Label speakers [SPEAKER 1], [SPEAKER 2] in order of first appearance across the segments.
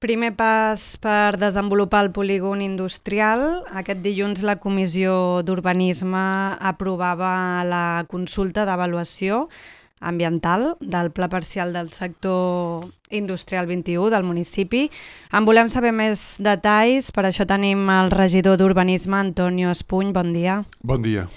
[SPEAKER 1] Primer pas per desenvolupar el polígon industrial. Aquest dilluns la Comissió d'Urbanisme aprovava la consulta d'avaluació ambiental del Pla Parcial del Sector Industrial 21 del municipi. En volem saber més detalls, per això tenim el regidor d'Urbanisme, Antonio Espuny. Bon dia.
[SPEAKER 2] Bon dia.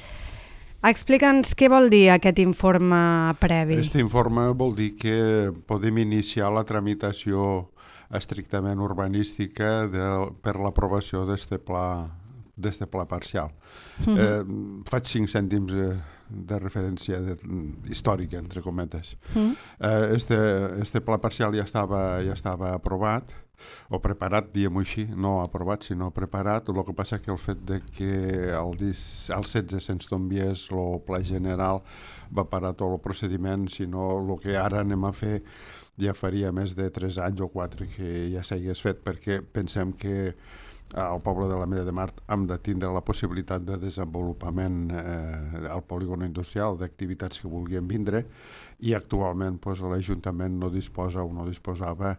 [SPEAKER 1] Explica'ns què vol dir aquest informe previ.
[SPEAKER 2] Aquest informe vol dir que podem iniciar la tramitació estrictament urbanística per l'aprovació d'aquest pla parcial. Faig 5 cèntims de referència històrica, entre cometes. Este pla parcial ja estava aprovat, o preparat, diguem-ho així, no aprovat, sinó preparat. El que passa que el fet de que al 16 se'ns tombiés el pla general va parar tot el procediment, sinó el que ara anem a fer ja faria més de 3 anys o 4 que ja s'hagués fet, perquè pensem que al poble de l'Ametlla de Mar hem de tindre la possibilitat de desenvolupament al polígon industrial, d'activitats que vulguin vindre, i actualment l'Ajuntament no disposa o no disposava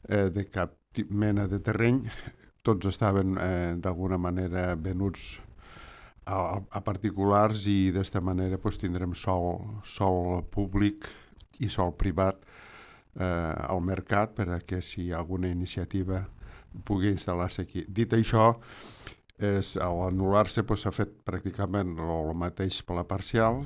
[SPEAKER 2] de cap mena de terreny. Tots estaven d'alguna manera venuts a particulars i d'esta manera tindrem sòl públic i sòl privat al mercat per a que si hi ha alguna iniciativa pugui instal·lar-se aquí. Dit això, a l'anul·lar-se s'ha fet pràcticament el mateix per la parcial,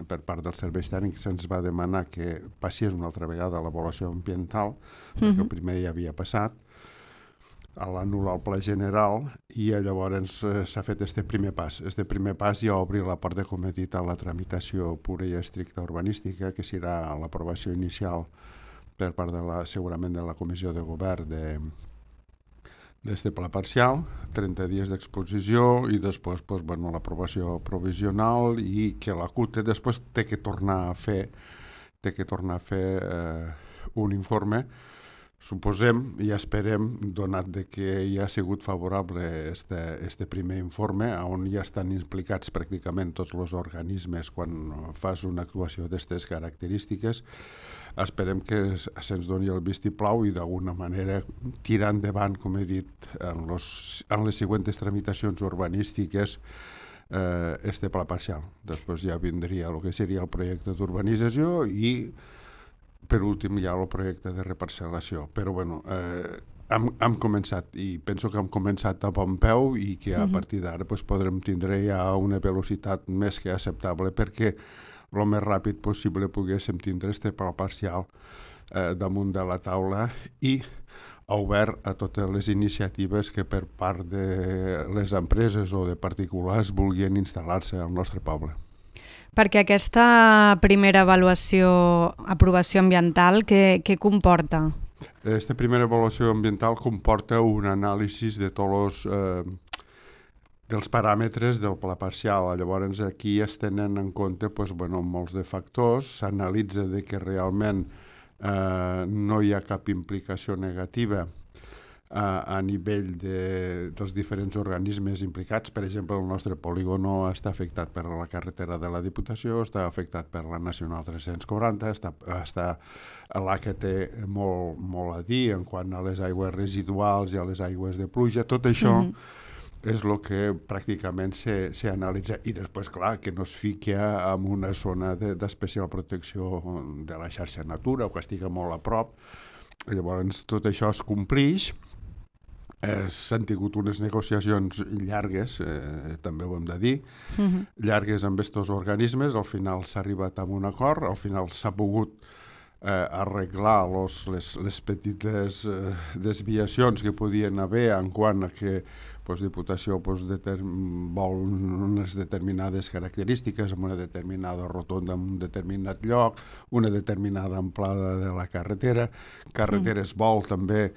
[SPEAKER 2] per part dels serveis tècnics se'ns va demanar que passés una altra vegada l'avaluació ambiental, perquè el primer ja havia passat, a l'anul·lar el pla general, i llavors s'ha fet este primer pas. Este primer pas ja obri la porta, com he dit, a la tramitació pura i estricta urbanística, que serà l'aprovació inicial per part segurament de la Comissió de Govern d'este pla parcial, 30 dies d'exposició i després l'aprovació provisional, i que la CUT després té que tornar a fer un informe. Suposem i esperem, donat que ja ha sigut favorable este primer informe, on ja estan implicats pràcticament tots els organismes quan fas una actuació d'aquestes característiques, esperem que se'ns doni el vistiplau i d'alguna manera tirar endavant, com he dit, en les següents tramitacions urbanístiques este pla parcial. Després ja vindria el que seria el projecte d'urbanització i per últim hi ha el projecte de reparcel·lació. Però hem començat, i penso que hem començat a bon peu i que a partir d'ara podrem tindre ja una velocitat més que acceptable perquè el més ràpid possible poguéssim tindre este pla parcial damunt de la taula i obert a totes les iniciatives que per part de les empreses o de particulars vulguin instal·lar-se al nostre poble.
[SPEAKER 1] Perquè aquesta primera aprovació ambiental, què comporta?
[SPEAKER 2] Aquesta primera avaluació ambiental comporta un anàlisi de tots dels paràmetres del pla parcial. Llavors aquí es tenen en compte molts de factors, s'analitza que realment no hi ha cap implicació negativa a nivell dels diferents organismes implicats. Per exemple, el nostre polígon no està afectat per la carretera de la Diputació, està afectat per la Nacional 340, està la que té molt a dir en quant a les aigües residuals i a les aigües de pluja. Tot això és el que pràcticament s'analitza, i després, clar, que no es fiqui en una zona d'especial protecció de la xarxa Natura o que estigui molt a prop. Llavors tot això es complix. S'han tingut unes negociacions llargues, també ho hem de dir, llargues amb aquests organismes. Al final s'ha arribat a un acord, al final s'ha pogut arreglar les petites desviacions que podien haver en quant a que Diputació vol unes determinades característiques amb una determinada rotonda en un determinat lloc, una determinada amplada de la carretera. Carreteres vol també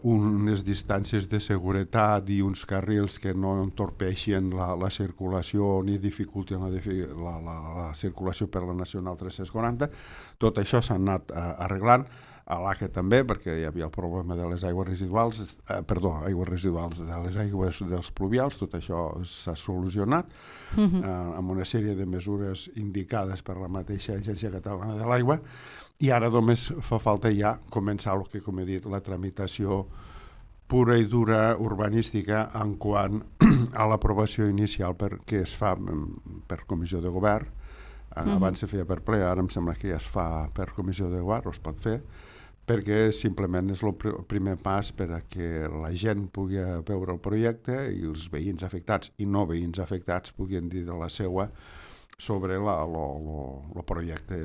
[SPEAKER 2] unes distàncies de seguretat i uns carrils que no entorpeixin la circulació ni dificultin la circulació per la Nacional 340. Tot això s'ha anat arreglant. a l'ACA també, perquè hi havia el problema de les aigües residuals, de les aigües dels pluvials, tot això s'ha solucionat amb una sèrie de mesures indicades per la mateixa Agència Catalana de l'Aigua, i ara només fa falta ja començar el que, com he dit, la tramitació pura i dura urbanística en quant a l'aprovació inicial que es fa per comissió de govern. Abans se feia per ple, ara em sembla que ja es fa per comissió de govern, o es pot fer, perquè simplement és el primer pas per a que la gent pugui veure el projecte i els veïns afectats i no veïns afectats puguin dir de la seua sobre el projecte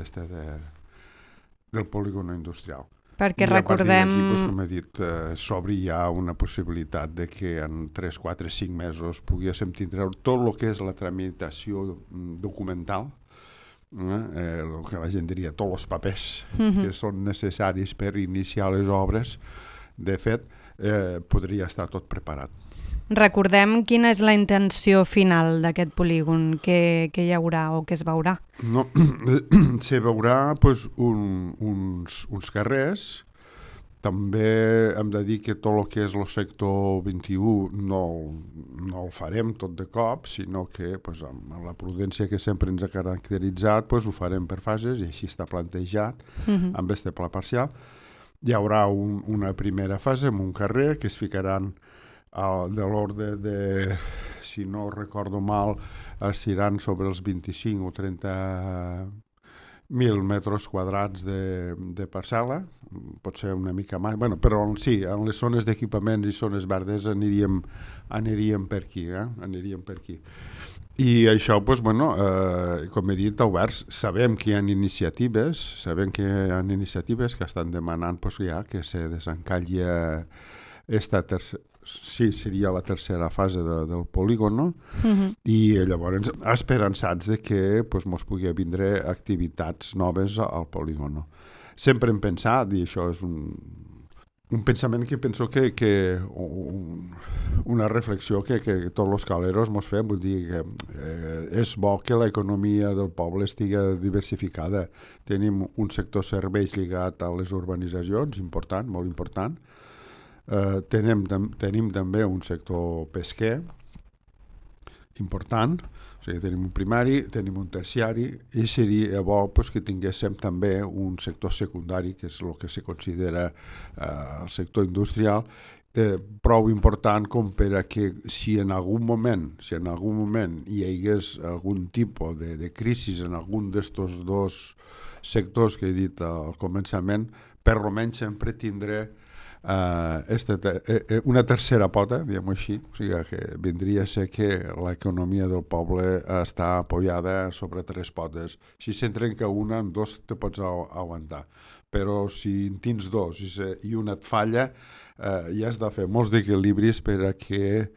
[SPEAKER 2] del polígon industrial.
[SPEAKER 1] Perquè
[SPEAKER 2] I
[SPEAKER 1] recordem...
[SPEAKER 2] a partir d'aquí, com he dit, s'obri ja una possibilitat de que en 3, 4, 5 mesos poguéssim tindre tot el que és la tramitació documental, el que la gent diria, tots els papers que són necessaris per iniciar les obres. De fet, podria estar tot preparat.
[SPEAKER 1] Recordem quina és la intenció final d'aquest polígon, que hi haurà o que es veurà.
[SPEAKER 2] No, se veurà pues, uns carrers. També hem de dir que tot el que és el sector 21 no el farem tot de cop, sinó que pues, amb la prudència que sempre ens ha caracteritzat pues, ho farem per fases, i així està plantejat amb este pla parcial. Hi haurà una primera fase amb un carrer que es ficaran de l'ordre de, si no recordo mal, seran sobre els 25 o 30 1.000 metres quadrats de parcel·la, pot ser una mica més, bueno, però sí, en les zones d'equipaments i zones verdes aniríem per aquí, aniríem per aquí. I això, doncs, bueno, com he dit, oberts, sabem que hi ha iniciatives, que estan demanant doncs, ja que se desencalli sí, seria la tercera fase del polígon, no? I llavors esperançats de que mos pugui vindre activitats noves al polígon. No? Sempre hem pensat, i això és un pensament que penso que una reflexió que tots els caleros mos fem, vull dir que és bo que l'economia del poble estigui diversificada. Tenim un sector serveis lligat a les urbanitzacions, important, molt important. Tenim també un sector pesquer important, o sigui, tenim un primari, tenim un terciari, i seria bo que tinguéssim també un sector secundari, que és el que se considera el sector industrial, prou important com per a que si en algun moment hi hagués algun tipus de crisi en algun d'estos dos sectors que he dit al començament, per almenys sempre tindré una tercera pota, diguem-ho així, o sigui que vindria a ser que l'economia del poble està apoyada sobre 3 potes. Si se'n trenca una, en 2 te pots aguantar, però si en tens 2 i una et falla, ja has de fer molts equilibris per a que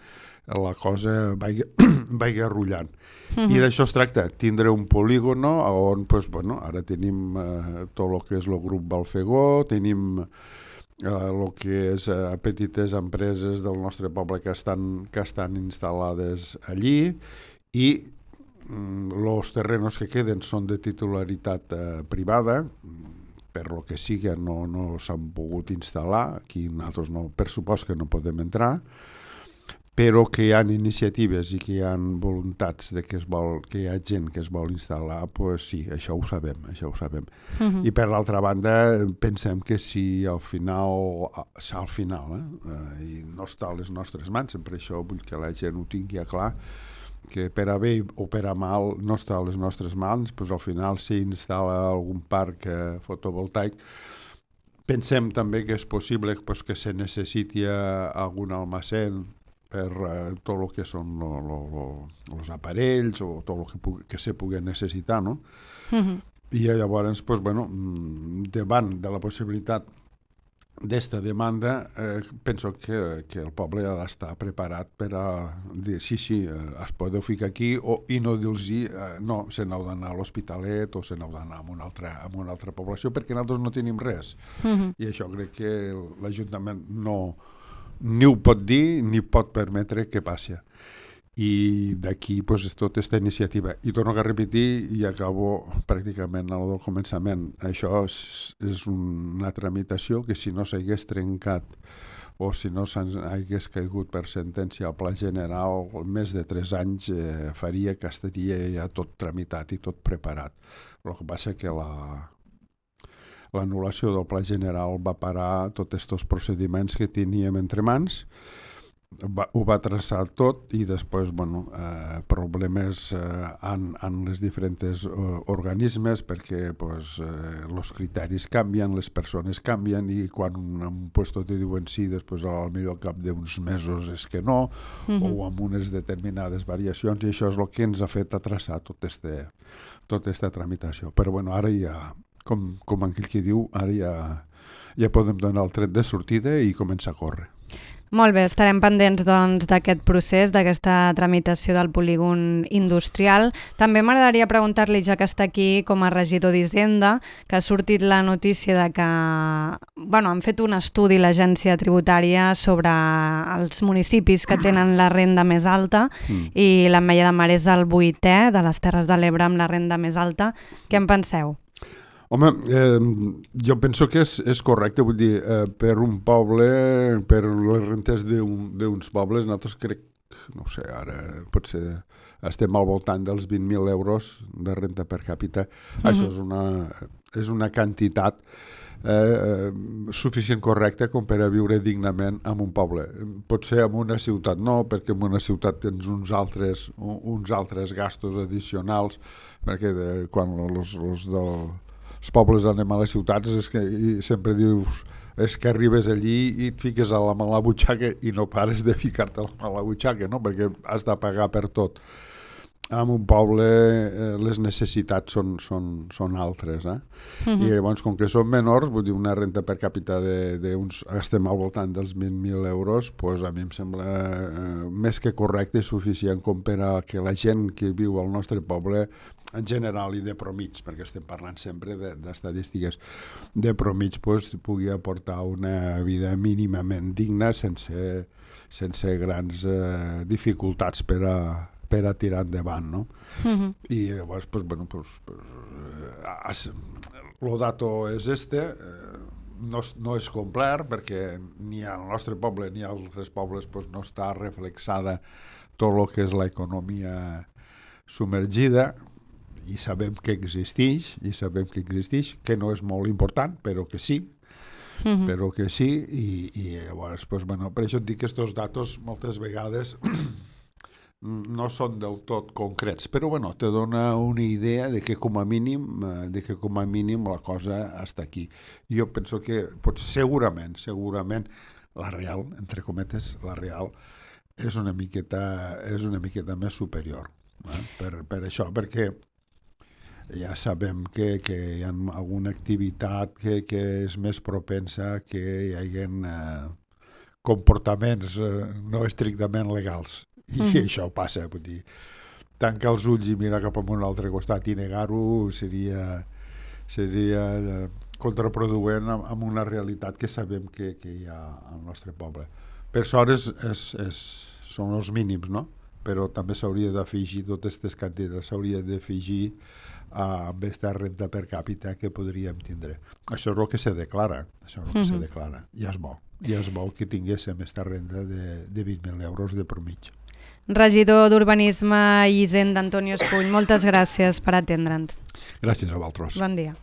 [SPEAKER 2] la cosa vagi arrullant. I d'això es tracta, tindre un polígon on ara tenim tot el que és el grup Balfegó, tenim el que és petites empreses del nostre poble que estan instal·lades allí, i els terrenos que queden són de titularitat privada, per lo que sigui no s'han pogut instal·lar, aquí nosaltres per supost que no podem entrar, però que hi ha iniciatives i que hi ha voluntats de que hi ha gent que es vol instal·lar, doncs sí, això ho sabem. I per l'altra banda, pensem que si al final, i no està a les nostres mans, sempre això vull que la gent ho tingui clar, que per a bé o per a mal no està a les nostres mans, doncs al final si instal·la algun parc fotovoltaic, pensem també que és possible que se necessiti algun almacén per tot el que són els aparells o tot el que se pugui necessitar, no? I llavors, davant de la possibilitat d'esta demanda, penso que el poble ha d'estar preparat per a dir sí, es podeu ficar aquí, i no dir-los no, se n'heu d'anar a l'Hospitalet o se n'heu d'anar a una altra població, perquè nosaltres no tenim res. I això crec que l'Ajuntament ni ho pot dir ni pot permetre que passi. I d'aquí doncs, tot aquesta iniciativa. I torno a repetir i acabo pràcticament al començament. Això és una tramitació que si no s'hagués trencat o si no hagués caigut per sentència al Pla General, més de 3 anys faria que estaria ja tot tramitat i tot preparat. El que passa que l'anul·lació del Pla General va parar tots aquests procediments que teníem entre mans, ho va traçar tot i després problemes en les diferents organismes perquè els criteris canvien, les persones canvien i quan un puesto te diuen sí, després al millor cap d'uns mesos és que no, o amb unes determinades variacions, i això és el que ens ha fet traçar tota aquesta tramitació. Però ara ja, com aquell que diu, ara ja podem donar el tret de sortida i començar a córrer.
[SPEAKER 1] Molt bé, estarem pendents d'aquest procés, d'aquesta tramitació del polígon industrial. També m'agradaria preguntar-li, ja que està aquí com a regidor d'Hisenda, que ha sortit la notícia de que han fet un estudi l'agència tributària sobre els municipis que tenen la renda més alta i l'Ametlla de Mar és el 8è de les Terres de l'Ebre amb la renda més alta. Què en penseu?
[SPEAKER 2] Home, jo penso que és correcte, vull dir, per un poble, per les rentes d'uns pobles, nosaltres crec, no sé, ara potser estem al voltant dels 20.000 euros de renta per càpita. Això és una quantitat suficient correcta com per a viure dignament en un poble. Potser en una ciutat no, perquè en una ciutat tens uns altres gastos addicionals, perquè quan els pobles anem a les ciutats és que sempre dius és que arribes allí i et fiques a la mala butxaca i no pares de ficar-te a la mala butxaca, no? Perquè has de pagar per tot. En un poble les necessitats són altres, i llavors com que són menors, vull dir, una renta per càpita estem al voltant dels 20.000 euros, doncs a mi em sembla més que correcte i suficient com per a que la gent que viu al nostre poble en general i de promig, perquè estem parlant sempre d'estadístiques de promig, pugui aportar una vida mínimament digna sense grans dificultats per a tirar endavant, no? I llavors, el dato és no és complet perquè ni al nostre poble ni a altres pobles no està reflexada tot el que és l'economia submergida, i sabem que existeix, que no és molt important, però que sí, i llavors, per això et dic que aquests datos moltes vegades no són del tot concrets, però te dona una idea de que com a mínim la cosa està aquí. Jo penso que segurament la real, entre cometes, la real és una miqueta més superior, per això, perquè ja sabem que hi ha alguna activitat que és més propensa que hi hagi comportaments no estrictament legals. I això passa, vull dir, tancar els ulls i mirar cap a un altre costat i negar-ho seria contraproduent amb una realitat que sabem que hi ha al nostre poble. Per sort són els mínims, no? Però també s'hauria d'afegir totes aquestes quantitats, s'hauria d'afegir amb aquesta renta per càpita que podríem tindre. Això és el que se declara, i és bo que tinguéssim aquesta renda de 20.000 euros de promig.
[SPEAKER 1] Regidor d'Urbanisme i Hisenda, Antonio Escull, moltes gràcies per atendre'ns.
[SPEAKER 2] Gràcies a vosaltres.
[SPEAKER 1] Bon dia.